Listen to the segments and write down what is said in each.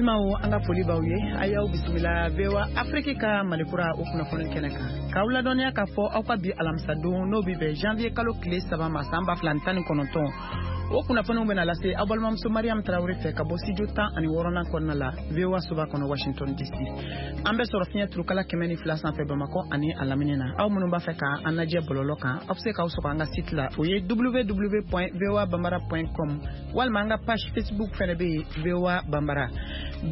Balimaw, an ka foli b'aw ye. A y'aw bisimila VOA Afrique ka Malikura o kunnafoni kɛnɛ kan, k'aw ladɔnniya k'a fɔ aw ka bi alamisadon, n'o bɛ bɛn janvier kalo tile 3 ma, san 2019, o kunnafoniw bɛna lase aw balimamuso Mariam Tarawele fɛ ka bɔ studio 16nan kɔnɔna la, VOA soba kɔnɔ, Washington DC. An bɛ sɔrɔ fiɲɛ turukala 102 sanfɛ Bamakɔ ani a lamini na. Aw minnu b'a fɛ ka an lajɛ bɔlɔlɔ kan, aw bɛ se k'aw sɔgɔ an ka site la, o ye www.voabambara.com, walima an ka page Facebook fɛnɛ bɛ yen, VOA Bambara.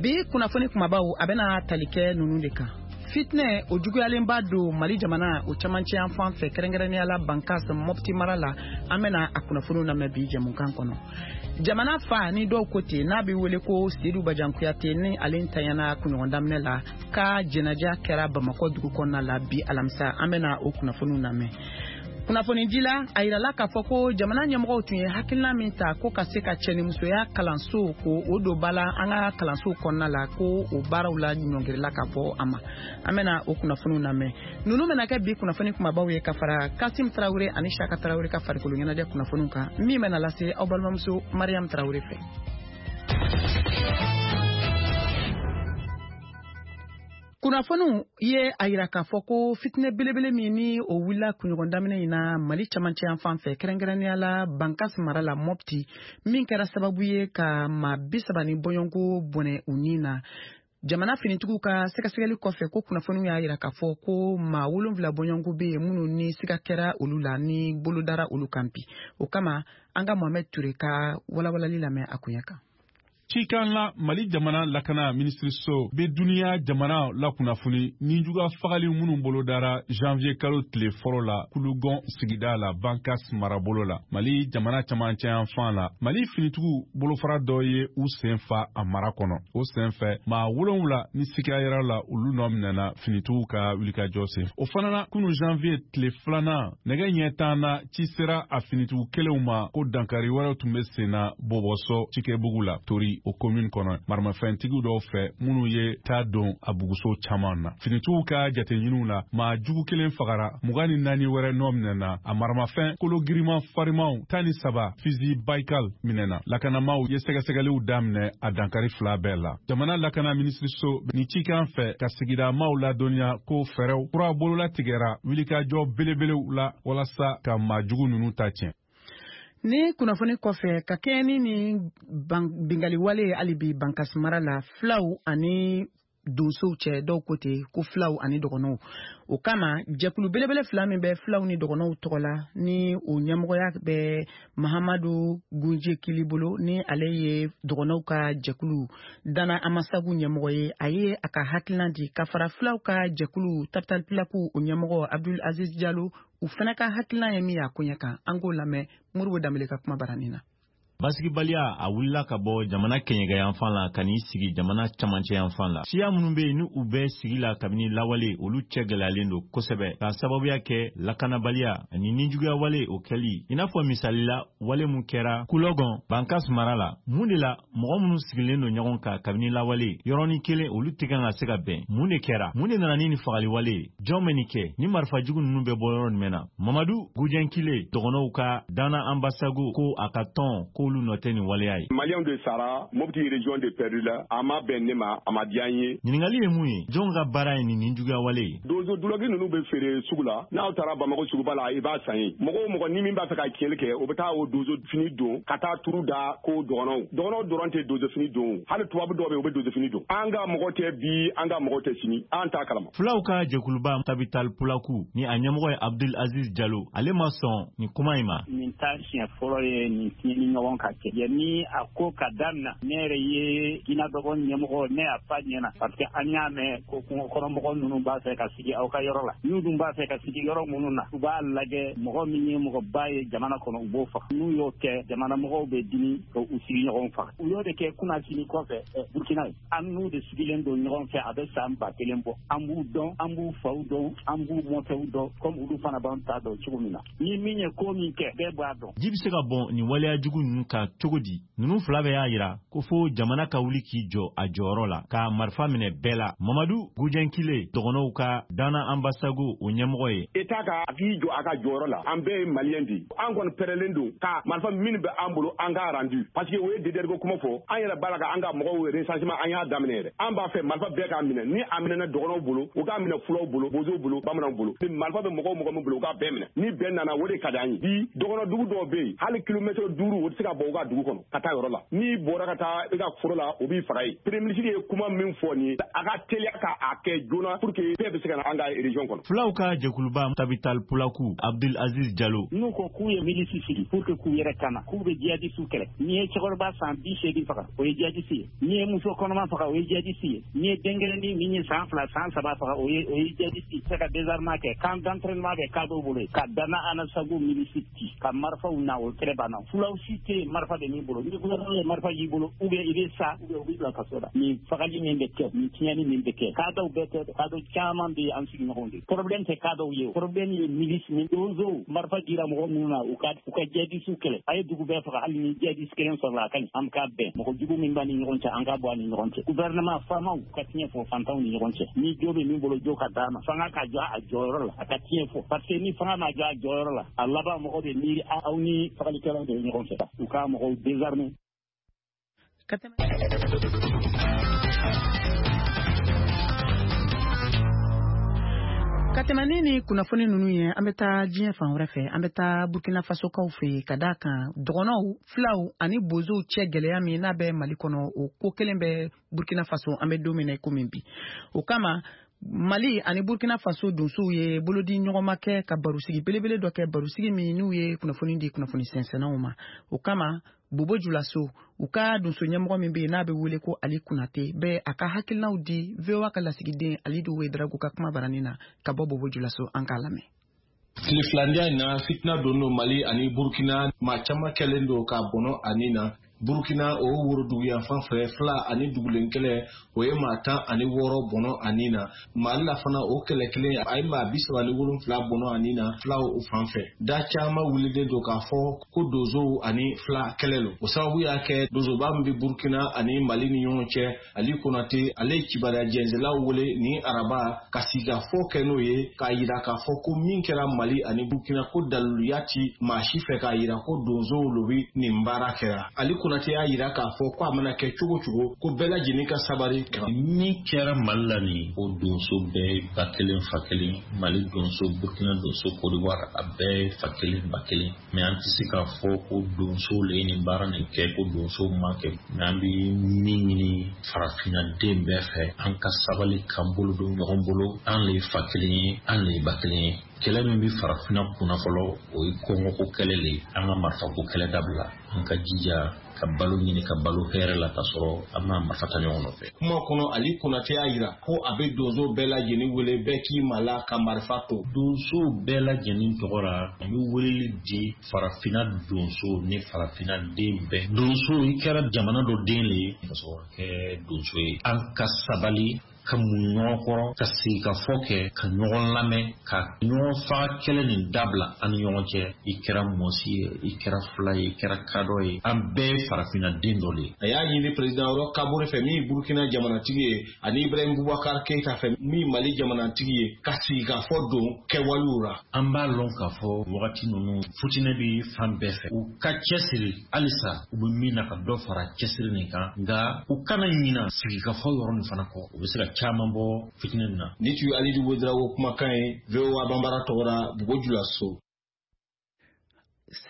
Bi kunnafoni kumabaw, a bɛna tali kɛ ninnu de kan: fitinɛ o juguyalenba don Mali jamana o camancɛ yan fan fɛ, kɛrɛnkɛrɛnnenya la Bankas, Mɔpti mara la. An bɛna a kunnafoniw lamɛn bi jɛmukan kɔnɔ. Jamana fa ni dɔw ko ten, n'a bɛ wele ko Sedu Bajan Kuyate, ni ale ntanyana kunɲɔgɔn daminɛ la, ka jɛnaja kɛra Bamakɔ dugu kɔnɔna la bi alamisa. An bɛna o kunnafoniw lamɛn. Kunnafonidila, a yirala k'a fɔ ko jamana ɲɛmɔgɔw tun ye hakilina min ta ko ka se ka cɛnimusoya kalanso ko o don ba la an ka kalansow kɔnɔna la, ko o baaraw la ɲɔngirila ka bɔ a ma. An bɛna o kunnafoniw lamɛn. Ninnu bɛna kɛ bi kunnafoni kumabaw ye, ka fara Kasim Tarawele ani Saka Tarawele ka farikolo ɲɛnajɛ kunnafoniw kan, min bɛna lase aw balimamuso Mariam Tarawele fɛ. Kunnafoniw ye a yira k'a fɔ ko fitinɛ belebele min ni o wulila kunɲɔgɔn daminɛ in na Mali camancɛ yan fan fɛ, kɛrɛnkɛrɛnnenya la Bankas mara la, Mɔpti, min kɛra sababu ye ka maa 30 ni bɔɲɔgɔnko bɔnɛ u ni na, jamana finitigiw ka sɛgɛsɛgɛli kɔfɛ, ko kunnafoniw y'a yira k'a fɔ ko maa 7 bɔɲɔgɔnko bɛ yen minnu ni siga kɛra olu la, ni bolo dara olu kan bi. O kama, an ka Mohamed Ture ka walawalali lamɛn a koɲɛ kan. Cikan la, Mali jamana lakana minisiriso bɛ duniya jamana lakunnafoni nijuga fagali minnu bolodara janvier kalo tile fɔlɔ la Kulugɔn sigida la, Bankas marabolo la, Mali jamana camancɛ yanfan la. Mali finitigiw bolofara dɔ ye u sen fa a mara kɔnɔ. O sen fɛ, maa 7 ni siga yɛrɛ la, olu nɔ minɛna finitigiw ka wulikajɔ sen. O fana na, kunu janvier tile 2nan, nɛgɛ ɲɛ 10 na, ci sera a finitigiw kelenw ma ko dankari wɛrɛw tun bɛ sen na Bɔbɔsɔ cikɛbugu la, Tori, o commune kɔnɔ, maramafɛntigiw dɔw fɛ minnu ye taa don a buguso caman na. Finitigiw ka jateɲiniw la, maa jugu kelen fagara, 24 wɛrɛ nɔ minɛna, a maramafɛn kolo giriman farimanw 13, fusil Baikal, minɛna. Lakanamaw ye sɛgɛsɛgɛliw daminɛ a dankari fila bɛɛ la. Jamana lakana minisiriso ni cikan fɛ ka sigida maaw ladɔnniya ko fɛɛrɛw kura bololatigɛra wulikajɔ belebelew la walasa ka maa jugu ninnu ta tiɲɛ. Ni kunnafoni kɔfɛ, ka kɛɲɛ ni bingali wale ye hali bi Bankas mara la, filaw ani donsow cɛ, dɔw ko ten ko filaw ani dɔgɔnɔw. O kama, jɛkulu belebele fila min bɛ filaw ni dɔgɔnɔw tɔgɔ la, ni o ɲɛmɔgɔya bɛ Mahamadu Gunje Kili bolo, ni ale ye dɔgɔnɔw ka jɛkulu Dana Amasagu ɲɛmɔgɔ ye, a ye a ka hakilina di, ka fara filaw ka jɛkulu Tabital Pulaku o ɲɛmɔgɔ Abdul Aziz Jalo, u fana ka hakilina ye min ye a koɲɛ kan. An k'o lamɛn Moribo Danbele ka kuma baranin na. Basigibaliya a wulila ka bɔ jamana kɛɲɛkɛ yanfan la ka n'i sigi jamana camancɛ yanfan la. Siya minnu bɛ yen ni u bɛ sigi la kabini lawale, olu cɛ gɛlɛyalen don kosɛbɛ k'a sababuya kɛ lakanabaliya ani nijuguya wale o kɛli, i n'a fɔ misali la wale mun kɛra Kulɔgɔn, Bankas mara la. Mun de la mɔgɔ minnu sigilen don ɲɔgɔn kan kabini lawale yɔrɔnin kelen, olu tɛ kan ka se ka bɛn? Mun de kɛra? Mun de nana ni nin fagali wale ye? Jɔn bɛ nin kɛ? Ni marifa jugu ninnu bɛ bɔ yɔrɔ jumɛn na? Mamadu Gujɛnkile, dɔgɔnɔw ka Dana Ambasago, ko a ka tɔn k'olu nɔ tɛ nin waleya ye. Maliyɛnw de sara, Mopti région de perdu la. A ma bɛn ne ma, a ma diya n ye. Ɲininkali ye mun ye? Jɔn ka baara ye nin juguya wale ye? Donso dulɔki ninnu bɛ feere sugu la. N'aw taara Bamakɔ suguba la, i b'a san yen. Mɔgɔ o mɔgɔ ni min b'a fɛ ka tiɲɛli kɛ, o bɛ taa o donso fini don ka taa turu da ko dɔgɔnɔw. Dɔgɔnɔw dɔrɔn tɛ donso fini don, hali tubabu dɔw bɛ yen, u bɛ donso fini don. An ka mɔgɔ tɛ bi, an ka mɔgɔ tɛ sini, an t'a kalama. Fulaw ka jɛkuluba Tabital Pulaku, ni a ɲɛmɔgɔ ye Abdul Aziz Jalo, ale ma sɔn nin kuma in ma. Nin ta siɲɛ fɔlɔ ye nin tiɲɛni ɲɔgɔn ka kɛ. Yanni a ko ka daminɛ, ne yɛrɛ ye jinɛdɔgɔ ɲɛmɔgɔ, ne y'a fa ɲɛna, parce que an y'a mɛn ko kungo kɔnɔmɔgɔ ninnu b'a fɛ ka sigi aw ka yɔrɔ la. N'u dun b'a fɛ ka sigi yɔrɔ minnu na, u b'a lajɛ mɔgɔ min ye mɔgɔba ye jamana kɔnɔ, u b'o faga. N'u y'o kɛ, jamana mɔgɔw bɛ dimi ka u sigiɲɔgɔnw faga. U y'o de kɛ kunnasini kɔfɛ Burkina ye. An n'u de sigilen don ɲɔgɔn fɛ, a bɛ san 1000 bɔ. An b'u dɔn, an b'u faw dɔn, an b'u mɔkɛw dɔn, comme olu fana b'an ta dɔn cogo min na. Ni min ye ko min kɛ, bɛɛ b'a dɔn. Ji bɛ se ka bɔn nin waleya jugu ninnu kan cogo di? Ninnu fila bɛɛ y'a yira ko fo jamana ka wuli k'i jɔ a jɔyɔrɔ la ka marifa minɛ bɛɛ la. Mamadu Gujɛnkile, dɔgɔnɔw ka Dana Ambasagu o ɲɛmɔgɔ ye. État ka k'i jɔ a ka jɔyɔrɔ la, an bɛɛ ye maliyɛn de ye. An kɔni pɛrɛlen don ka marifa min bɛ an bolo an k'a rendu, parce que o ye DDR ko kuma fɔ. An yɛrɛ b'a la ka an ka mɔgɔw recensement an y'a daminɛ yɛrɛ. An b'a fɛ marifa bɛɛ k'a minɛ, ni a minɛna dɔgɔnɔw bolo, u k'a minɛ fulaw bolo, bozow bolo, bamananw bolo. Ni marifa bɛ mɔgɔ o mɔgɔ min bolo, u k'a bɛɛ minɛ. Ni bɛn nana, o de ka di an ye. Bi dɔgɔnɔ dugu dɔw bɛ yen, hali kilomɛtɛrɛ 5 o tɛ se ka bɔ u ka dugu kɔnɔ ka taa yɔrɔ la. N'i bɔra ka taa i ka foro la, o b'i faga yen. Premier ministre ye kuma min fɔ nin ye, a ka teliya ka a kɛ joona pour que bɛɛ bɛ se ka na an ka région kɔnɔ. Fulaw ka jɛkuluba Tabital Pulaku, Abdul Aziz Jalo. N'u ko k'u ye milisi sigi pour que k'u yɛrɛ kana, k'u bɛ jihadisiw kɛlɛ. N'i ye cɛkɔrɔba san 80 faga, o ye jihadisi ye. N'i ye muso kɔnɔma faga, o ye jihadisi ye. N'i ye denkɛrɛnin min ye san 2 san 3 faga, o ye jihadisi ye. Se ka désarmement kɛ, camp d'entraînement bɛ kadɔw bolo yen, ka Dana Anasago milisi ci ka marifaw na, o kɛlɛ banna. Fulaw si tɛ yen marifa bɛ min bolo. Ni gouvernement ye marifa y'i bolo, ou bien i bɛ sa, ou bien u b'i bila kaso la. Nin fagali min bɛ kɛ, nin tiɲɛni min bɛ kɛ, kadɔw bɛɛ tɛ, kadɔ caman bɛ an sigiɲɔgɔnw de. Problème tɛ kadɔw ye, problème ye milice ni donsow. Marifa dira mɔgɔ minnu na, u ka jihadisiw kɛlɛ. A ye dugu bɛɛ faga, hali ni jihadisi kelen sɔrɔla a ka ɲi. An ka bɛn, mɔgɔ jugu min b'a ni ɲɔgɔn cɛ, an ka bɔ a ni ɲɔgɔn cɛ. Gouvernement faamaw ka tiɲɛ fɔ fantanw ni ɲɔgɔn cɛ. Ni jo bɛ min bolo, jo ka d'a ma. Fanga ka jɔ a jɔyɔrɔ la, a ka tiɲɛ fɔ. Parce que ni fanga ma jɔ a jɔyɔrɔ la, a laban mɔgɔ bɛ miiri aw ni fagalikɛlaw de bɛ ɲɔgɔn fɛ. U ka mɔgɔw désarmer. Ka tɛmɛ ni kunnafoni ninnu ye, an bɛ taa diɲɛ fan wɛrɛ fɛ. An bɛ taa Burkina Faso kaw fɛ yen, ka d'a kan dɔgɔnɔw, filaw ani bozow cɛ gɛlɛya min n'a bɛ Mali kɔnɔ, o ko kelen bɛ Burkina Faso an bɛ don min na i komi bi. O kama Mali ani Burkina Faso donsow ye bolodi ɲɔgɔnma kɛ ka barosigi belebele dɔ kɛ, barosigi min n'u ye kunnafoni di kunnafoni sɛnsɛnnaw ma. O kama Bobo Julaso, u ka donso ɲɛmɔgɔ min bɛ yen n'a bɛ wele ko Ali Kunate, bɛ a ka hakilinaw di VOA ka lasigiden Alidu Wedrago ka kuma baranin na ka bɔ Bobo Julaso, an k'a lamɛn. Tile filandiya in na, fitina don don Mali ani Burkina, maa caman kɛlen don ka bɔnɔ ani na. Burkina o woroduguyanfan fɛ, fila ani dugulen kɛlɛ, o ye maa 16 bɔnɔ ani na. Mali la fana, o kɛlɛ kelen a ye maa 37 bɔnɔ ani na filaw o fan fɛ. Da caman wulilen don k'a fɔ ko donsow ani fila kɛlɛ lo. O sababu y'a kɛ donsoba min bɛ Burkina ani Mali ni ɲɔgɔn cɛ, Ali Konate, ale ye kibaruya jɛnsɛlaw wele ni araba ka sigikafɔ kɛ n'o ye, k'a yira k'a fɔ ko min kɛra Mali ani Burkina, ko daliluya ti maa si fɛ k'a yira ko donsow lo bi nin baara kɛra. Ali Konate y'a yira k'a fɔ ko a mana kɛ cogo cogo, ko bɛɛ lajɛlen ka sabari kan. Min kɛra Mali la nin, o donso bɛɛ ba kelen fa kelen. Mali donso, Burkina donso, Côte d'Ivoire, a bɛɛ fa kelen ba kelen. Mais an tɛ se k'a fɔ ko donsow le ye nin baara nin kɛ, ko donsow ma kɛ. Mais an bɛ min ɲini farafinna den bɛɛ fɛ, an ka sabali k'an bolo don ɲɔgɔn bolo. An le ye fa kelen ye, an le ye ba kelen ye. Kɛlɛ min bɛ farafinna kunna fɔlɔ, o ye kɔngɔko kɛlɛ le ye. An ka marifako kɛlɛ dabila, an ka jija ka balo ɲini ka balo hɛrɛ la, ka sɔrɔ an ma marifa ta ɲɔgɔn nɔfɛ. Kuma kɔnɔ, Ali Konate y'a yira ko a bɛ donso bɛɛ lajɛlen wele, bɛɛ k'i ma la ka marifa to. Donsow bɛɛ lajɛlen tɔgɔ la, an bɛ weleli di farafinna donso ni farafinna den bɛɛ. Donso, i kɛra jamana dɔ den le ye ka sɔrɔ ka kɛ donso ye. An ka sabali ka mun ɲɔgɔn kɔrɔ, ka sigi ka fɔ kɛ, ka ɲɔgɔn lamɛn, ka ɲɔgɔn faga kɛlɛ nin dabila an ni ɲɔgɔn cɛ. I kɛra mɔsi ye, i kɛra fila ye, i kɛra kadɔ ye, an bɛɛ ye farafinna den dɔ de ye. A y'a ɲini président Roch Kabore fɛ, min ye Burkina jamanatigi ye, ani Ibrahim Boubacar Keïta fɛ, min ye Mali jamanatigi ye, ka sigi ka fɔ don kɛwalew la. An b'a lɔn k'a fɔ wagati ninnu futinɛ bɛ fan bɛɛ fɛ. U ka cɛsiri halisa, u bɛ min na ka dɔ fara cɛsiri nin kan, nka u kana ɲina sigikafɔ yɔrɔ nin fana kɔ. U bɛ se ka caman bɔ fitinɛ nin na. Ni tun ye Alidu Wedrago kumakan ye VOA Banbara tɔgɔ la, Bobo Julaso.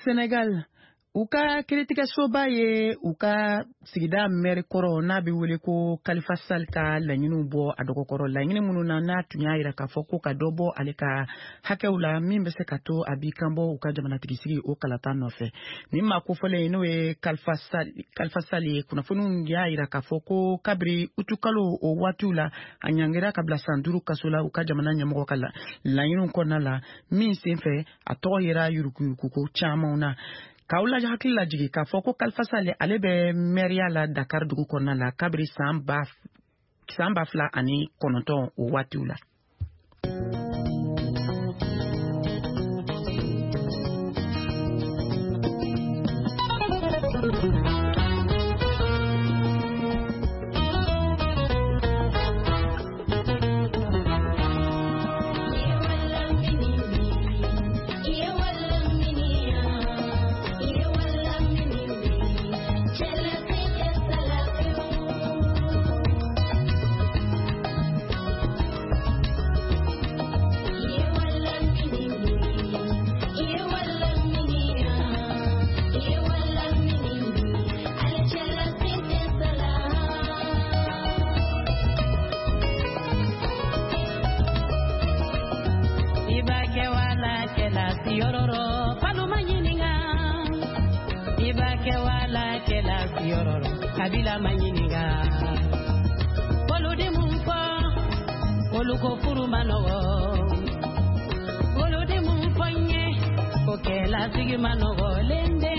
Senegal, u ka kiiritigɛsoba ye u ka sigida mɛri kɔrɔ n'a bɛ wele ko Khalifa Sall ka laɲiniw bɔ a dɔgɔkɔrɔ, laɲini minnu na n'a tun y'a yira k'a fɔ ko ka dɔ bɔ ale ka hakɛw la min bɛ se ka to a b'i kanbɔ u ka jamanatigisigi o kalata nɔfɛ. Nin maa kofɔlen n'o ye Khalifa Sall ye, kunnafoniw y'a yira k'a fɔ ko kabiri utukalo o waatiw la, a ɲangira ka bila san 5 kaso la u ka jamana ɲɛmɔgɔ ka laɲiniw kɔnɔna la, min senfɛ a tɔgɔ yera yuruguyuruguko camanw na. K'aw lajɛ hakili lajigin k'a fɔ ko Khalifa Sall, ale bɛ mɛriya la Dakar dugu kɔnɔna la kabiri san 2009 o waatiw la. Kabila ma ɲininka. Olu di mun fɔ, olu ko furu ma nɔgɔ. Olu di mun fɔ n ye, ko kɛlasigi ma nɔgɔ lende.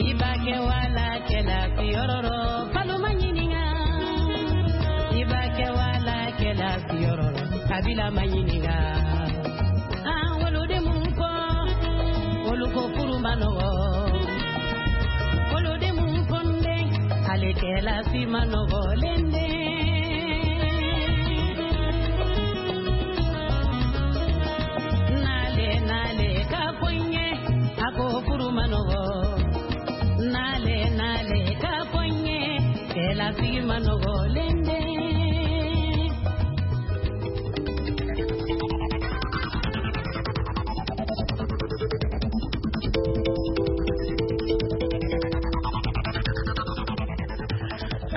I b'a kɛ wala kɛla siyɔrɔ rɔ, falo ma ɲininka. I b'a kɛ wala kɛla siyɔrɔ rɔ, kabila ma ɲininka. An olu di mun fɔ, olu ko furu ma nɔgɔ. Olu di mun fɔ n den, ale kɛla si ma nɔgɔ lende. Nale nale ka fɔ n ye, a ko furu ma nɔgɔ. Nale nale ka fɔ n ye, kɛlasigi ma nɔgɔ lende.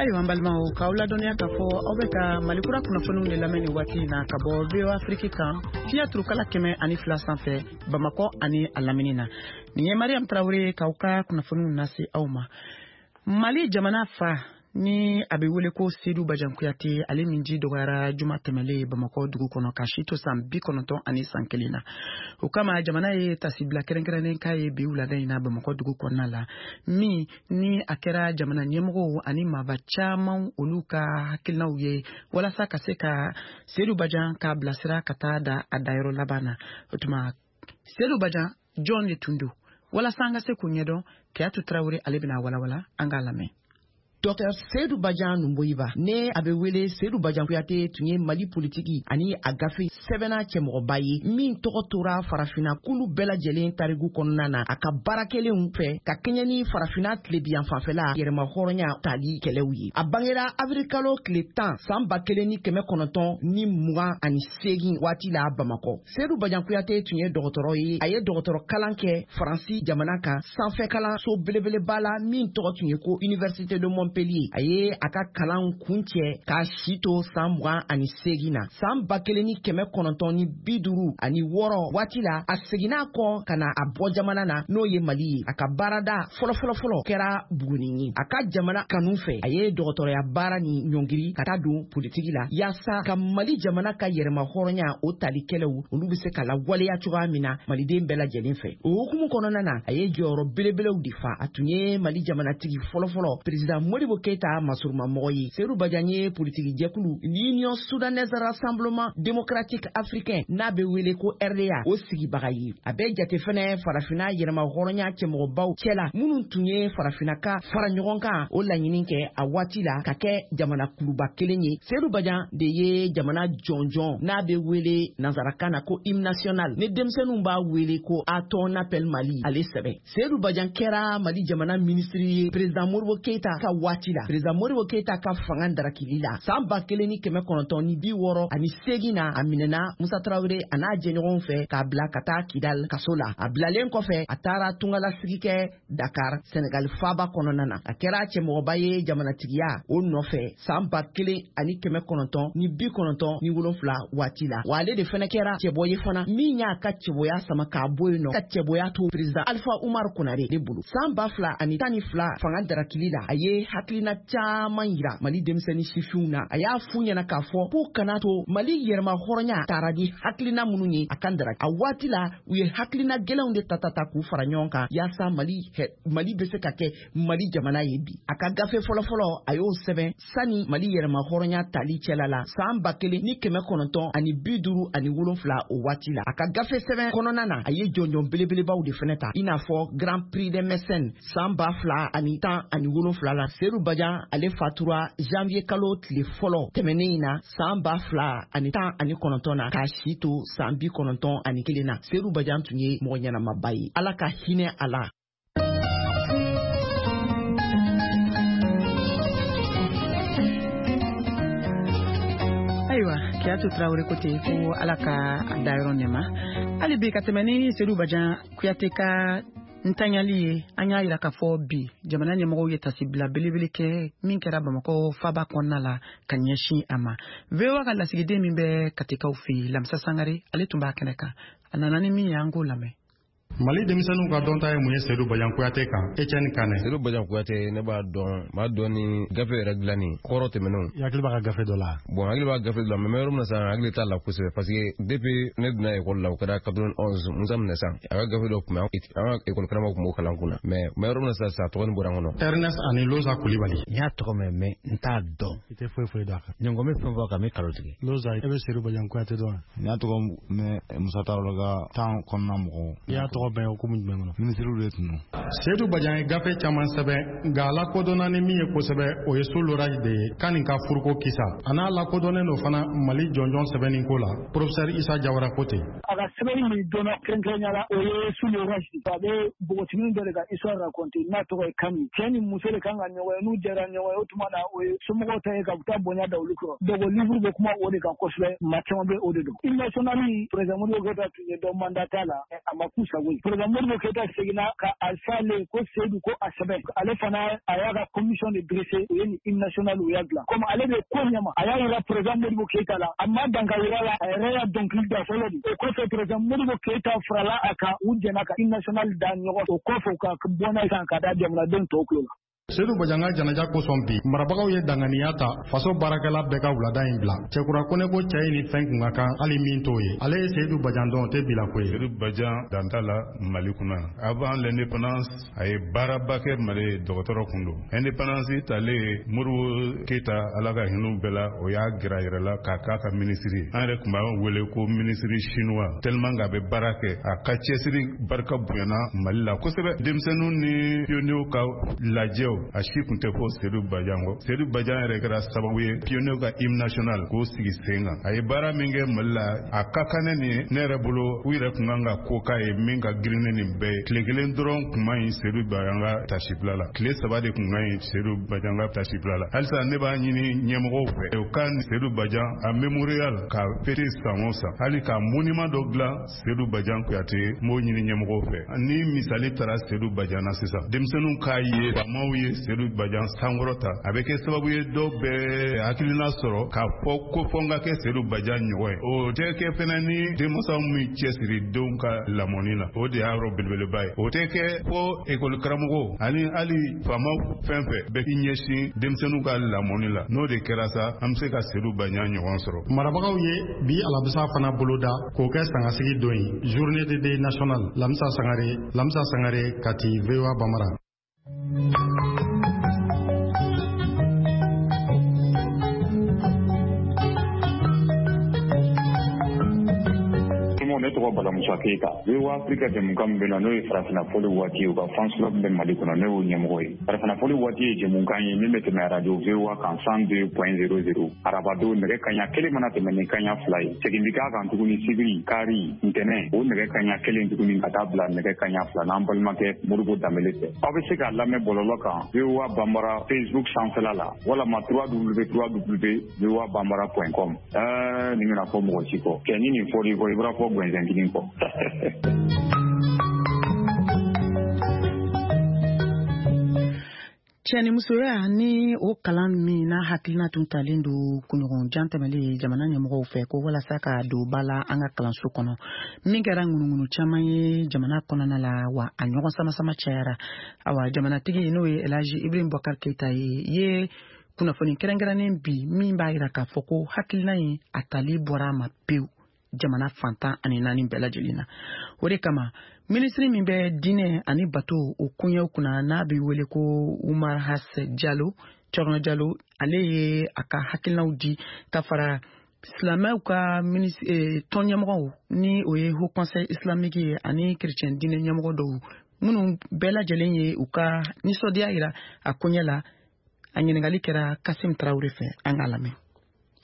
Ayiwa, n balimaw, k'aw ladɔnniya k'a fɔ aw bɛ ka Malikura kunnafoniw de lamɛn nin waati in na ka bɔ VOA Afrique kan, fiɲɛ turukala 102 sanfɛ, Bamakɔ ani a lamini na. Nin ye Mariam Tarawele k'aw ka kunnafoniw lase aw ma. Mali jamana fa ni a bɛ wele ko Seydou Badian Kuyate, ale min ji dɔgɔyara juma tɛmɛlen Bamakɔ dugu kɔnɔ ka si to san 91 na. O kama jamana ye tasibila kɛrɛnkɛrɛnnen k'a ye bi wulada in na Bamakɔ dugu kɔnɔna la, min ni a kɛra jamana ɲɛmɔgɔw ani maaba caman olu ka hakilinaw ye walasa ka se ka Seydou Badian k'a bilasira ka taa da a dayɔrɔ laban na. O tuma Seydou Badian jɔn de tun don? Walasa an ka se k'o ɲɛdɔn, Keyatu Tarawele ale bɛna walawala, an k'a lamɛn. Dr Seydou Badian Numboyiba, ne a bɛ wele Seydou Badian Kuyate, tun ye Mali politiki ani a gafe sɛbɛnna cɛmɔgɔba ye min tɔgɔ tora farafinna kulu bɛɛ lajɛlen tariku kɔnɔna na a ka baara kɛlenw fɛ ka kɛɲɛ ni farafinna tilebiyan fanfɛla yɛrɛma hɔrɔnya tali kɛlɛw ye. A bangera avril kalo tile 10 san 1928 waati la Bamakɔ. Seydou Badian Kuyate tun ye dɔgɔtɔrɔ ye. A ye dɔgɔtɔrɔ kalan kɛ Faransi jamana kan, sanfɛ kalanso belebeleba la min tɔgɔ tun ye ko Université de Montpellier. A ye a ka kalan kuncɛ k'a si to san 28 na. San 1956 waati la, a seginna kɔ ka na a bɔ jamana na, n'o ye Mali ye. A ka baarada fɔlɔfɔlɔfɔlɔ kɛra Buguni ye. A ka jamana kanu fɛ, a ye dɔgɔtɔrɔya baara ni ɲɔngiri ka taa don politiki la yaasa ka Mali jamana ka yɛrɛma hɔrɔnya o tali kɛlɛw olu bɛ se ka lawaleya cogoya min na maliden bɛɛ lajɛlen fɛ. O hukumu kɔnɔna na, a ye jɔyɔrɔ belebelew de fa. A tun ye Mali jamanatigi fɔlɔfɔlɔ, président Modibo Keita masurumamɔgɔ ye. Seydou Badian ye politiki jɛkulu l'Union Soudanaise Rassemblement Démocratique Africain, n'a bɛ wele ko RDA, o sigibaga ye. A bɛ jate fɛnɛ farafinna yɛrɛma hɔrɔnya cɛmɔgɔbaw cɛla minnu tun ye farafinna ka fara ɲɔgɔn kan o laɲini kɛ a waati la ka kɛ jamana kuluba kelen ye. Seydou Badian de ye jamana jɔnjɔn n'a bɛ wele nansarakan na ko hymne national, ni denmisɛnninw b'a wele ko A ton appel Mali, ale sɛbɛn. Seydou Badian kɛra Mali jamana minisiri ye président Modibo Keita ka waati la. Président Modibo Keita ka fanga darakili la san 1968 na, a minɛna Musa Tarawele a n'a jɛɲɔgɔnw fɛ k'a bila ka taa Kidal kaso la. A bilalen kɔfɛ, a taara tungalasigi kɛ Dakar, Senegal faaba kɔnɔna na. A kɛra cɛmɔgɔba ye jamanatigiya o nɔfɛ san 1997 waati la. Wa ale de fɛnɛ kɛra cɛbɔ ye fana min y'a ka cɛbɔya sama k'a bɔ yen nɔ ka cɛbɔya to président Alpha Umar Konare de bolo. San 2012 fanga darakili la, a ye hakilina caman yira Mali denmisɛnnin sifinw na. A y'a f'u ɲɛna k'a fɔ k'u kana to Mali yɛrɛma hɔrɔnya taara ni hakilina minnu ye a kan daraki. A waati la, u ye hakilina gɛlɛnw de ta ta ta k'u fara ɲɔgɔn kan yaasa Mali bɛ se ka kɛ Mali jamana ye bi. A ka gafe fɔlɔfɔlɔ, a y'o sɛbɛn sani Mali yɛrɛma hɔrɔnya tali cɛla la san 1957 o waati la. A ka gafe sɛbɛn kɔnɔna na, a ye jɔnjɔn belebelebaw de fɛnɛ ta, i n'a fɔ Grand Prix des mécènes san 2017 la. Seydou Badian ale fatura janvier kalo tile fɔlɔ tɛmɛnen in na san 2019 na k'a si to san 91 na. Seydou Badian tun ye mɔgɔ ɲɛnamaba ye. Ala ka hinɛ a la. Ayiwa, Keyatu Tarawele ko ten ko Ala ka a dayɔrɔ nɛma. Hali bi ka tɛmɛ ni Seydou Badian Kuyate ka ntanyali ye, an y'a yira k'a fɔ bi jamana ɲɛmɔgɔw ye tasibila belebele kɛ min kɛra Bamakɔ faba kɔnɔna la ka ɲɛsin a ma. VOA ka lasigiden min bɛ Katikaw fɛ yen, Lamisa Sangare, ale tun b'a kɛnɛ kan. A nana ni min ye, an k'o lamɛn. Mali denmisɛnninw ka dɔnta ye mun ye Seydou Badian Kouyaté kan? Etienne Kane. Seydou Badian Kouyaté, ne b'a dɔn, b'a dɔn ni gafe yɛrɛ dilanni kɔrɔ tɛmɛnenw. I hakili b'a ka gafe dɔ la? Bon, hakili b'a gafe dɔ la, mais n bɛ yɔrɔ min na sisan, hakili t'a la kosɛbɛ, parce que depuis ne donna école la, o kɛra 91, Musa minɛ san, a ka gafe dɔ tun bɛ an ka école karamɔgɔ tun b'o kalan kunna, mais n bɛ yɔrɔ min na sisan, tɔgɔ nin bɔra n kɔnɔ. Ernest ani Loza Kulibali. N y'a tɔgɔ mɛn, mais n t'a dɔn. I tɛ foyi foyi dɔn a kan. Ɲɔngɔn bɛ fɛn fɔ a kan, n bɛ kalo tigɛ. Loza, e bɛ Seydou Badian Kouyaté dɔn? N y'a tɔgɔ mɛn Musa Tarawele ka temps kɔnɔna mɔgɔw. I y'a tɔgɔ bɛn hukumu jumɛn kɔnɔ? Minisiriw de tun don. Seydou Badian ye gafe caman sɛbɛn, nka a lakodɔnna ni min ye kosɛbɛ, o ye Sous l'orage de ye, Kani ka furuko kisa. A n'a lakodɔnnen don fana Mali jɔnjɔn sɛbɛnni ko la, professeur Isa Jawara ko ten. A ka sɛbɛnni min dɔnna kɛrɛnkɛrɛnnenya la, o ye Sous l'orage. A bɛ npogotiginin dɔ de ka histoire raconter n'a tɔgɔ ye Kani. Cɛ ni muso de kan ka ɲɔgɔn ye, n'u jɛra ɲɔgɔn ye, o tuma na o ye somɔgɔw ta ye ka taa bonya da olu kɔrɔ. Donc o livre bɛ kuma o de kan kosɛbɛ, maa caman bɛ o de dɔn. Hymne national, président Modibo Keïta tun ye dɔ mandat la, a ma k'u sago ye. Président Modibo Keïta seginna ka a f'ale ko Seydou ko a sɛbɛn. Ale fana a y'a ka commission de dressé, u ye nin hymne national u y'a dilan. Comme ale de ko ɲɛma, a y'a yira président Modibo Keïta la, a ma dan ka yira la, a yɛrɛ y'a dɔnkili da fɔlɔ de. O kɔfɛ président Modibo Keïta farala a kan, u jɛna ka hymne national da ɲɔgɔn. O kɔfɛ u ka bɔ n'a ye kan ka da jamanaden tɔw tulo la. Seydou Badian ka janaja kosɔn bi, marabagaw ye danganiya ta faso baarakɛla bɛɛ ka wulada in bila. Cɛkura Kone ko cɛ ye ni fɛn kun ka kan hali min t'o ye. Ale ye Seydou Badian dɔn, o tɛ bila ko ye. Seydou Badian dan t'a la Mali kunna. Avant l'indépendance, a ye baaraba kɛ Mali, dɔgɔtɔrɔ kun don. Indépendance talen, Modibo Keïta, Ala ka hinɛ bɛɛ la, o y'a gɛrɛ a yɛrɛ la k'a k'a ka minisiri. An yɛrɛ tun b'a wele ko minisiri chinois, tellement qu'a bɛ baara kɛ. A ka cɛsiri barika bonyana Mali la kosɛbɛ. Denmisɛnninw ni pionniers ka lajɛw, a si tun tɛ fɔ Seydou Badian kɔ. Seydou Badian yɛrɛ kɛra sababu ye pionniers ka hymne national k'o sigi sen kan. A ye baara min kɛ Mali la, a ka kan ne nin ne yɛrɛ bolo, u yɛrɛ tun kan ka ko k'a ye min ka girin ne nin bɛɛ ye. Tile kelen dɔrɔn tun man ɲi Seydou Badian ka tasibila la, tile 3 de tun ka ɲi Seydou Badian ka tasibila la. Halisa ne b'a ɲini ɲɛmɔgɔw fɛ, u ka Seydou Badian a mémorial ka fêter san o san, hali ka monument dɔ dilan Seydou Badian Kouyaté, n b'o ɲini ɲɛmɔgɔw fɛ. Ni misali taara Seydou Badian na sisan, denmisɛnninw k'a ye, faamaw ye Seydou Badian sankɔrɔta, a bɛ kɛ sababu ye dɔw bɛ hakilina sɔrɔ k'a fɔ ko fɔ n ka kɛ Seydou Badian ɲɔgɔn ye. O tɛ kɛ fɛnɛ ni denmansaw min cɛsiri denw ka lamɔni na, o de y'a yɔrɔ belebeleba ye. O tɛ kɛ fo ekɔli karamɔgɔw ani hali faamaw fɛn fɛn bɛ i ɲɛsin denmisɛnninw ka lamɔni la. N'o de kɛra sa, an bɛ se ka Seydou Badian ɲɔgɔn sɔrɔ. Marabagaw ye bi alamisa fana boloda k'o kɛ sangasigi don ye, journée de deuil national. Lamisa Sangare, Lamisa Sangare, Kati, VOA Bambara. Ne tɔgɔ Bala Musa Keyita. VOA Afrika jɛmukan min bɛ na, n'o ye farafinna fɔli waati ye, u ka fans club bɛ Mali kɔnɔ, ne y'o ɲɛmɔgɔ ye. Farafinna fɔli waati ye jɛmukan ye min bɛ tɛmɛ radio VOA kan 102.00 arabadon nɛgɛ kaɲa 1 mana tɛmɛ ni kaɲa 2 ye. Segin bɛ k'a kan tuguni sibiri, kari, ntɛnɛn, o nɛgɛ kaɲa 1 tuguni ka taa bila nɛgɛ kaɲa 2 n'an balimakɛ Modibo Danbele fɛ. Aw bɛ se k'a lamɛn bɔlɔlɔ kan VOA Bambara Facebook sanfɛla la walama www.voabambara.com. Nin kana fɔ mɔgɔ si kɔ. Kɛ ni nin fɔr'i kɔ, i bɔra fɔ gɛnzɛn kelen kɔ. Cɛnimusoya ni o kalan min n'a hakilina tun talen don kunɲɔgɔn jan tɛmɛlen jamana ɲɛmɔgɔw fɛ ko walasa ka don ba la an ka kalanso kɔnɔ, min kɛra ŋunuŋunu caman ye jamana kɔnɔna la, wa a ɲɔgɔn sama-sama cayara. Awa, jamanatigi n'o ye Elhaji Ibrahim Boubacar Keïta ye kunnafoni kɛrɛnkɛrɛnnen bi min b'a yira k'a fɔ ko hakilina in a tali bɔra a ma pewu jamana fantan ani naani bɛɛ lajɛlen na. O de kama minisiri min bɛ diinɛ ani bato o koɲɛw kunna n'a bɛ wele ko Umar Has Jalo, Cɔrɔnɔ Jalo, ale ye a ka hakilinaw di ka fara silamɛw ka tɔn ɲɛmɔgɔw ni o ye Haut Conseil islamique ye ani chrétien diinɛ ɲɛmɔgɔ dɔw minnu bɛɛ lajɛlen ye u ka nisɔndiya yira a koɲɛ la. A ɲininkali kɛra Kasim Tarawele fɛ, an k'a lamɛn.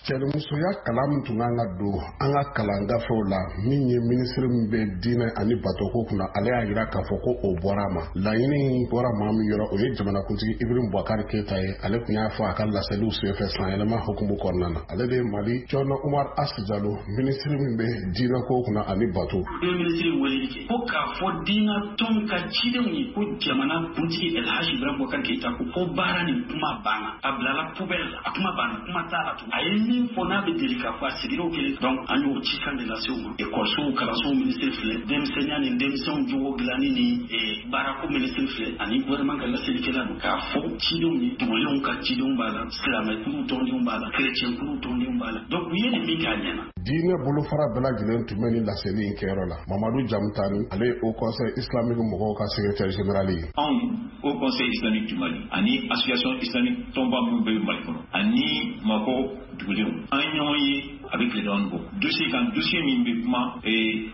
Cɛnimusoya kalan min tun kan ka don an ka kalan gafew la, min ye minisiri min bɛ diinɛ ani batoko kunna, ale y'a jira k'a fɔ ko o bɔra a ma. Laɲini bɔra maa min yɔrɔ, o ye jamanakuntigi Ibrahim Boubacar Keïta ye. Ale tun y'a fɔ a ka laseliw senfɛ sanyɛlɛma hukumu kɔnɔna na. Ale de ye Mali Cɔrɔnɔ Umar As Jalo, minisiri min bɛ diinɛko kunna ani bato. U ye minisiri weleli kɛ ko k'a fɔ diinɛ tɔn ka cidenw ye ko jamana kuntigi Elhaji Ibrahim Boubacar Keïta ko baara nin kuma banna, a bilala poubelle la, a kuma banna, kuma t'a la tugun. A ye min fɔ n'a bɛ deli k'a fɔ a seginna o kelen. Donc an y'o cikan de lase u ma. Ekɔlisow kalansow minisiri filɛ, denmisɛnninya ni denmisɛnw jogo dilanni ni baarako minisiri filɛ, ani gouvernement ka laselikɛla don k'a fɔ cidenw ye. Dugulenw ka cidenw b'a la, silamɛkuluw tɔndenw b'a la, kerecɛnkuluw tɔndenw b'a la. Donc u ye nin min kɛ a ɲɛna. Diinɛ bolofara bɛɛ lajɛlen tun bɛ nin laseli in kɛyɔrɔ la. Mamadu Jamutani, ale ye Haut Conseil islamique mɔgɔw ka secrétaire général ye. Anw Haut Conseil islamique du Mali ani association islamique tɔnba minnu bɛ Mali kɔnɔ ani Bamakɔ dugulenw, an ye ɲɔgɔn ye a bɛ tile damadɔ bɔ dossier kan, dossier min bɛ kuma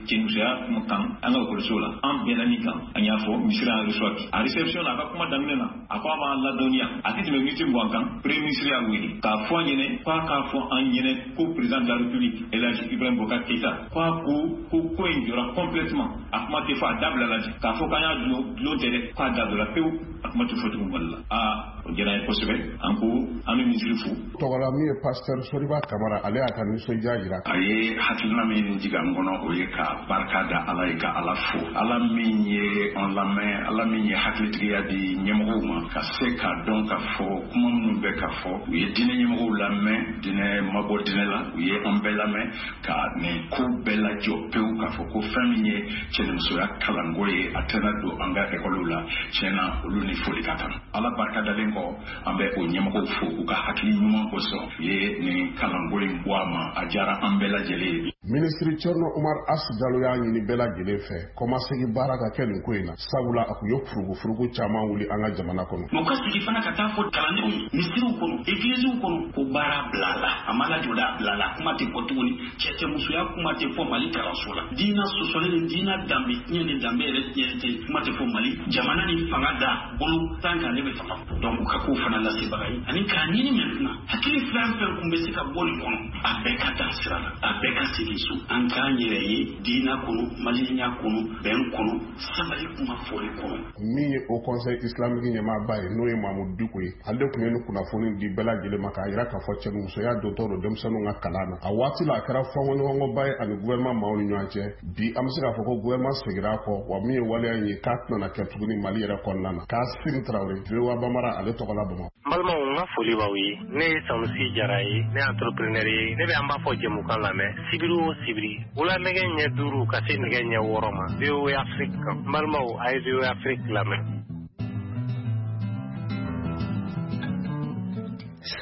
cɛnimusoya kan an ka ekɔliso la. An bɛnna min kan, an y'a fɔ ministre y'an reçoit bi. A réception na, a ka kuma daminɛ na, a ko a b'an ladɔnniya a tɛ tɛmɛ miniti 20 kan. Premier ministre y'a wele k'a fɔ an ɲɛnɛ k'a k'a fɔ an ɲɛnɛ ko président de la République El Hadji Ibrahim Boubacar Keïta ko a ko in jɔra complètement, a kuma tɛ fɔ, a dabila la. K'a fɔ k'an y'a dulon tɛ dɛ, k'a dabila pewu, a kuma tɛ fɔ tugun Mali la. Aa, o diyara an ye kosɛbɛ. An ko an bɛ ministre fo. Tɔgɔla min ye pasteur Soriba Kamara, ale y'a ka nisɔndiya jira. A ye hakilina min jigin an kɔnɔ, o ye ka barika da Ala ye, ka Ala fo, Ala min ye an lamɛn, Ala min ye hakilitigiya di ɲɛmɔgɔw ma ka se k'a dɔn k'a fɔ kuma minnu bɛ ka fɔ. U ye diinɛ ɲɛmɔgɔw lamɛn, diinɛ ma bɔ diinɛ la, u ye an bɛɛ lamɛn ka nin ko bɛɛ lajɔ pewu, k'a fɔ ko fɛn min ye cɛnimusoya kalanko ye, a tɛna don an ka ekɔliw la. Tiɲɛ na, olu ni foli ka kan. Ala barika dalen kɔ, an bɛ o ɲɛmɔgɔw fo u ka hakili ɲuman kosɔn, u ye nin kalanko in bɔ a ma. A diyara an bɛɛ lajɛlen ye. Minisiri Thierno Oumar As Jalo y'a ɲini bɛɛ lajɛlen fɛ kɔmasegin baara ka kɛ nin ko in na, sabula a kun ye furugufurugu caman wuli an ka jamana kɔnɔ. U ka sigi fana ka taa fɔ kalandenw ye misiriw kɔnɔ, egiliziw kɔnɔ, ko baara bila la, a ma lajɔ dɛ, a bila la, kuma tɛ fɔ tuguni. Cɛ musoya kuma tɛ fɔ Mali kalanso la. Diinɛ sɔsɔli ni diinɛ danbe tiɲɛ ni danbe yɛrɛ tiɲɛ tɛ, kuma tɛ fɔ Mali jamana ni fanga da bolo tan kan ne bɛ fanga. Donc u ka kow fana lasebaga ye, ani k'a ɲini maintenant hakili fɛn fɛn kun bɛ se ka bɔ nin kɔnɔ, a bɛɛ ka taa sira la, a bɛɛ ka segin so. An k'an yɛrɛ ye diinɛ kɔnɔ, maliyɛnya kɔnɔ, bɛn kɔnɔ, sabali kuma fɔli kɔnɔ. Min ye Haut Conseil islamique ɲɛmaaba ye, n'o ye Mamudu Diko ye, ale tun ye nin kunnafoni di bɛɛ lajɛlen ma k'a jira k'a fɔ cɛnimusoya dontɔ don denmisɛnninw ka kalan na. A waati la, a kɛra fɔnkɔɲɔgɔnkɔba ye ani gouvernement maaw ni ɲɔgɔn cɛ. Bi, an bɛ se k'a fɔ ko gouvernement seginna a kɔ, wa min ye waleya in ye, k'a tɛna kɛ tuguni Mali yɛrɛ kɔnɔna na. Kasim Tarawele, VOA Bambara, ale tɔgɔ la Bamakɔ. N balimaw, n ka foli b'aw ye. Ne ye Sanusi Jara ye, ne ye entrepreneur ye. Ne bɛ an b'a fɔ jɛmukan lamɛn sibiri o sibiri, wula nɛgɛ ɲɛ 5 ka se nɛgɛ ɲɛ 6 ma, VOA Afrique kan. N balimaw, a ye VOA Afrique lamɛn.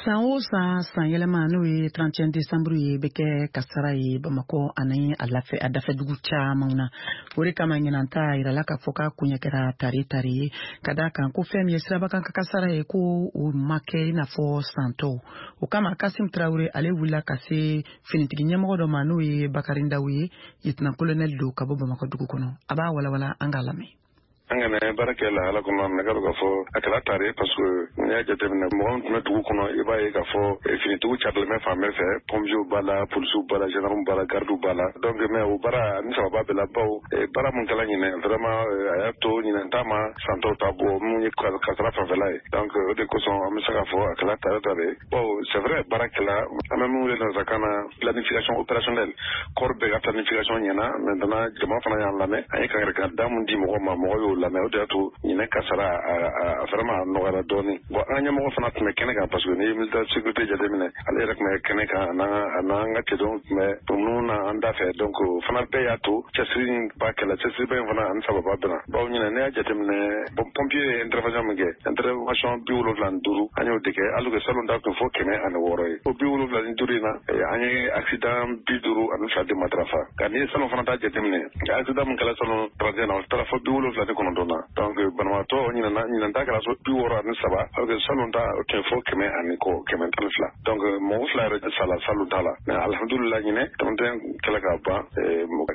San o san, san yɛlɛma, n'o ye 31 décembre ye, bɛ kɛ kasara ye Bamakɔ ani a lafɛ a dafɛdugu caman na. O de kama ɲinan ta yirala k'a fɔ k'a koɲɛ kɛra tare tare ye, ka d'a kan ko fɛn min ye sirabakan ka kasara ye, ko o ma kɛ i n'a fɔ san tɔw. O kama Kasim Tarawele, ale wulila ka se finitigi ɲɛmɔgɔ dɔ ma, n'o ye Bakari Ndaw ye, lieutenant colonel don ka bɔ Bamakɔ dugu kɔnɔ. A b'a walawala, an k'a lamɛn. An kana baara kɛ lahala kɔnɔ minɛ ka k'a fɔ a kɛra tare, parce que n'i y'a jateminɛ, mɔgɔ min tun bɛ dugu kɔnɔ, i b'a ye k'a fɔ finitigiw carilen bɛ fan bɛɛ fɛ, pompiers b'a la, polisiw b'a la, gendarmes b'a la, gardiw b'a la. Donc mais o baara ni sababa bɛɛ la, bawo baara mun kɛla ɲinɛ, vraiment a y'a to ɲinɛ ta ma san tɔw ta bɔ mun ye kasara fanfɛla ye. Donc o de kosɔn an bɛ se k'a fɔ a kɛra tare tare. Bawo c'est vrai, baara kɛla, an bɛ min wele nanzarakan na planification opérationnelle, corps bɛɛ ka planification ɲɛna. Maintenant jama fana y'an lamɛn, an ye kangarikan da mun di mɔgɔ ma, mɔgɔ y'o lamɛn, o de y'a to ɲinɛ kasara a vraiment a nɔgɔyara dɔɔni. Bon, an ka ɲɛmɔgɔ fana tun bɛ kɛnɛ kan, parce que n'i ye militaire sécurité jateminɛ, ale yɛrɛ tun bɛ kɛnɛ kan, a n'an ka cɛdenw tun bɛ minnu na an da fɛ. Donc o fana bɛɛ y'a to cɛsiri ba kɛla, cɛsiriba in fana ani sababa bɛnna, bawo ɲinɛ n'i y'a jateminɛ, pompier ye intervention min kɛ, intervention 75 an y'o de kɛ, alors que salon ta tun fɔ 106 ye. O 75 in na, an ye accident 52 de matarafa. Nka n'i ye salon fana ta jateminɛ, accident min kɛra salon 31 na, o taara fɔ 79 na. Donc banabaatɔ ɲinana, ɲinan ta kɛra so 63, alors que salon ta o tun fɔ kɛmɛ ani kɔ, 112. Donc mɔgɔ fila yɛrɛ sala salon ta la. Mais alhamdulillah, ɲinɛ 31 kɛla ka ban,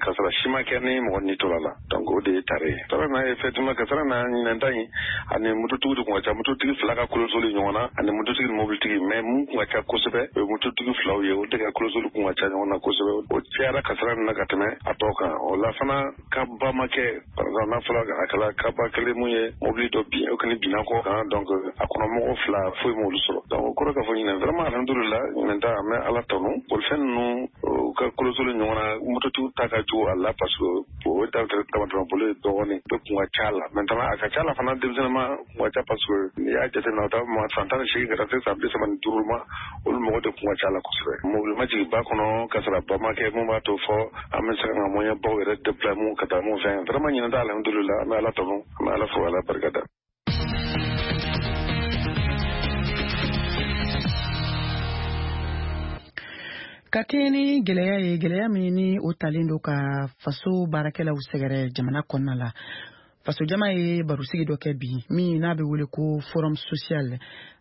kasara si ma kɛ ni mɔgɔ ni tora la. Donc o de ye tare ye. Kasara na, effectivement kasara na ɲinan ta in ani mototigi de kun ka ca, mototigi fila ka kolosoli ɲɔgɔn na, ani mototigi ni mobilitigi. Mais mun kun ka ca kosɛbɛ, o ye mototigi filaw ye, o de ka kolosoli kun ka ca ɲɔgɔn na kosɛbɛ. O cayara kasara nin na ka tɛmɛ a tɔ kan. O la fana ka ba ma kɛ, par exemple n'a fɔra a kɛla kɛra kaba kelen mun ye mobili dɔ bin, o kɔni binna kɔ kan, donc a kɔnɔ mɔgɔ 2 foyi m'olu sɔrɔ. Donc o kɔrɔ k'a fɔ ɲinɛ vraiment alhamdulillah, ɲinɛ ta an bɛ Ala tanu. Bolifɛn ninnu u ka kolosolo ɲɔgɔn na, mototigiw ta ka jugu a la parce que o damatɛmɛ bolo ye dɔgɔnin bɛɛ kun ka ca la. Maintenant a ka ca la fana, denmisɛnninma kun ka ca parce que n'i y'a jateminɛ, o ta ma san 18 ka taa se san 35 ma, olu mɔgɔ de kun ka ca la kosɛbɛ. Mobili ma jigin ba kɔnɔ, kasara ba ma kɛ mun b'a to fɔ an bɛ se ka moyen baw yɛrɛ déployer mun ka taa mun fɛn. Vraiment ɲinɛ ta alhamdulillah, an bɛ Ala tanu, an bɛ Ala fo, Ala barika da. Ka kɛɲɛ ni gɛlɛya ye, gɛlɛya min ni o talen don ka faso baarakɛlaw sɛgɛrɛ jamana kɔnɔna la, fasojama ye barosigi dɔ kɛ bi min n'a bɛ wele ko forum social.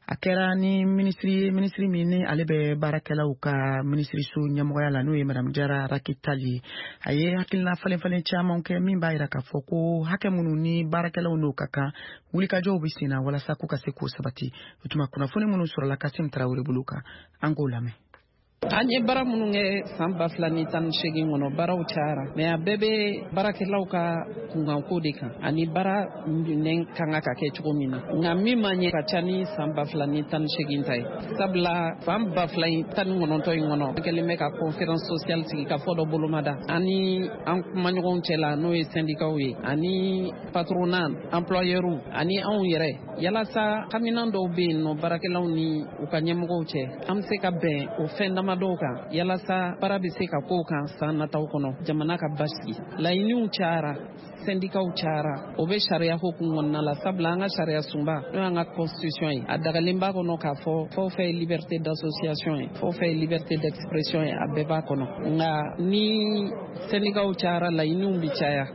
A kɛra ni minisiri ye, minisiri min ni ale bɛ baarakɛlaw ka minisiriso ɲɛmɔgɔya la, n'o ye Madame Jara Racky Tall ye. A ye hakilina falen falen caman kɛ min b'a yira k'a fɔ ko hakɛ minnu ni baarakɛlaw n'o ka kan, wulikajɔw bɛ sen na walasa k'u ka se k'o sabati. O tuma kunnafoni minnu sɔrɔla Kasim Tarawele bolo kan, an k'o lamɛn. An ye baara minnu kɛ san 2018 kɔnɔ, baaraw cayara, mais a bɛɛ bɛ baarakɛlaw ka kunkanko de kan ani baara minɛn kan ka kɛ cogo min na. Nka min ma ɲɛ ka ca ni san 2018 ta ye, sabula san 2019 in kɔnɔ, an kɛlen bɛ ka conférence sociale sigi ka fɔ dɔ bolomada ani an kumaɲɔgɔnw cɛ la, n'o ye syndicats ye ani patronat, employeurs ani anw yɛrɛ, yalasa haminan dɔw bɛ yen nɔ baarakɛlaw ni u ka ɲɛmɔgɔw cɛ, an bɛ se ka bɛn o fɛn dama dɔw kan yalasa baara bɛ se ka k'o kan san nataw kɔnɔ, jamana ka basigi. Laɲiniw cayara, syndicats cayara, o bɛ sariya hukumu kɔnɔna la, sabula an ka sariya sunba, n'o y'an ka constitution ye, a dagalen b'a kɔnɔ k'a fɔ fɛn o fɛn ye liberté d'association ye, fɛn o fɛn ye liberté d'expression ye, a bɛɛ b'a kɔnɔ. Nka ni syndicats cayara, laɲiniw bɛ caya.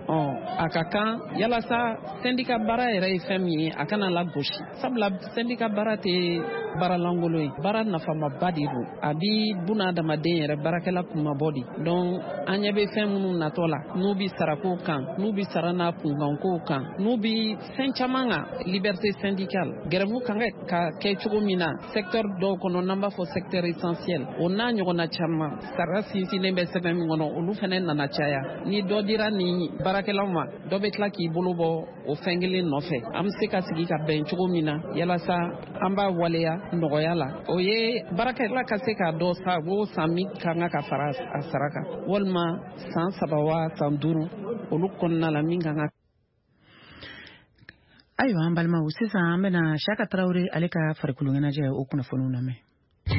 A ka kan yalasa syndicat baara yɛrɛ ye fɛn min ye, a kana lagosi, sabula syndicat baara tɛ baara lankolon ye, baara nafamaba de don, a bi buna adamaden yɛrɛ baarakɛla kunmabɔ de. Donc an ɲɛ bɛ fɛn minnu natɔ la, n'u bi sarako kan, n'u bi sara n'a kunkankow kan, n'u bi fɛn caman kan, liberté syndicale, grève kan ka kɛ cogo min na secteur dɔw kɔnɔ, n'an b'a fɔ secteur essentiel, o n'a ɲɔgɔnna caman, sara sinsinnen bɛ sɛbɛn min kɔnɔ, olu fɛnɛ nana caya. Ni dɔ dira nin baarakɛlaw ma, dɔ bɛ tila k'i bolo bɔ o fɛn kelen nɔfɛ. An bɛ se ka sigi ka bɛn cogo min na yalasa an b'a waleya nɔgɔya la, o ye baarakɛla ka se k'a dɔn sa o san min ka kan ka fara a sara kan, walima san 3 wa san 5 olu kɔnɔna la min kan ka. Ayiwa an balimaw, sisan an bɛna Saka Tarawele ale ka farikolo ɲɛnajɛ o kunnafoniw lamɛn.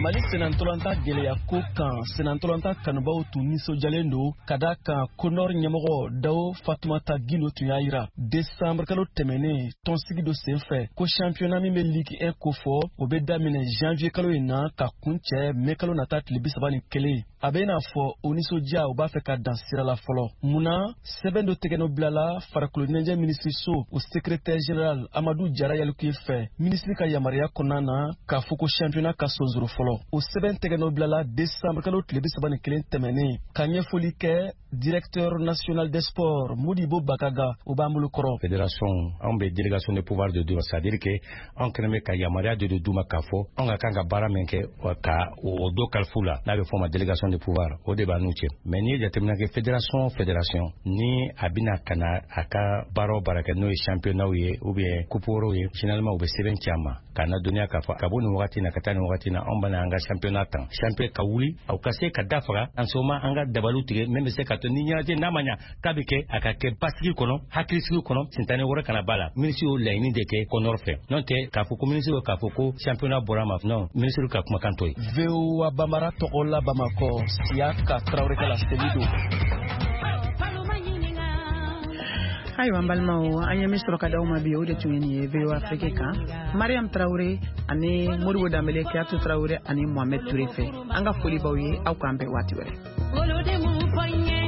Mali senantɔlanta gɛlɛya ko kan, senantɔlanta kanubaw tun nisɔndiyalen don ka da kan Conor ɲɛmɔgɔ Dawo Fatumata Gindo tun y'a yira décembre kalo tɛmɛnen tɔnsigi dɔ senfɛ ko championnat min bɛ Ligue 1 kofɔ, o bɛ daminɛ janvier kalo in na ka kuncɛ mai kalo nata tile 31. A bɛ n'a fɔ o nisɔndiya u b'a fɛ ka dan sira la fɔlɔ. Munna sɛbɛn dɔ tɛgɛnɔ bilala farikolo ɲɛnajɛ minisiriso o secrétaire général Amadu Jara Yalikuye fɛ minisiri ka yamaruya kɔnɔna na k'a fɔ ko championnat ka sonsoro fɔlɔ. O sɛbɛn tɛgɛnɔ bilala décembre kalo tile 31 tɛmɛnen ka ɲɛfɔli kɛ directeur national des sports Modibo Bakaga, o b'an bolo kɔrɔ. Fédération anw bɛ délégation de pouvoir de d'u ma, c'est à dire que anw kɛlen bɛ ka yamaruya de d'u ma k'a fɔ anw ka kan ka baara min kɛ ka o dɔ kalifu la, n'a bɛ fɔ o ma délégation de pouvoir, o de b'an n'u cɛ. Mais n'i ye jateminɛ kɛ, fédération ni a bɛna ka na a ka baara o baara kɛ, n'o ye championnat ye ou bien coupe wɛrɛw ye, généralement u bɛ sɛbɛn ci a ma k'a ladɔnniya k'a fɔ ka bɔ nin wagati na ka taa nin wagati na, anw bɛna an ka championnat tan, champion ka wuli aw ka se ka da faga en ce moment an ka dabaliw tigɛ min bɛ se ka to ni ɲɛnajɛ n'a ma ɲa k'a bɛ kɛ, a ka kɛ basigi kɔnɔ, hakilisigi kɔnɔ, sintani wɛrɛ kana ba la. Minisiri y'o laɲini de kɛ Conor fɛ, n'o tɛ k'a fɔ ko minisiri k'a fɔ ko championnat bɔra a ma, non, minisiri ka kumakan t'o ye. VOA Bambara tɔgɔ la Bamakɔ, Siyaka Tarawele ka laseli don. Ayiwa an balimaw, an ye min sɔrɔ ka d'aw ma bi, o de tun ye nin ye VOA Afrique kan. Mariam Traoré ani Modibo Danbele, Kiyatu Traoré ani Mohamed Touré fɛ, an ka foli b'aw ye, aw k'an bɛn waati wɛrɛ. Olu de mun fɔ n ye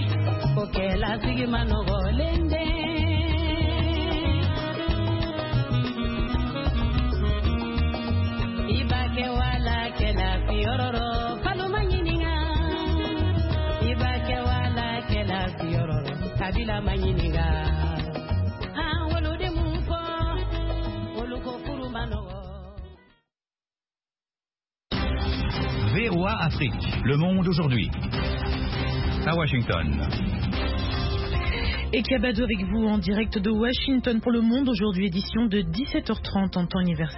ko kɛlasigi ma nɔgɔlen dɛ. I b'a kɛ wala kɛla fiyɔrɔ, falo ma ɲininka. I b'a kɛ wala kɛla fiyɔrɔ, kabila ma ɲininka. An wolo de mun fɔ, olu ko furu ma nɔgɔ. VOA Afrique, le monde aujourd'hui. À Washington. Et Kabadou avec vous en direct de Washington pour le Monde, aujourd'hui édition de 17h30 en temps universel.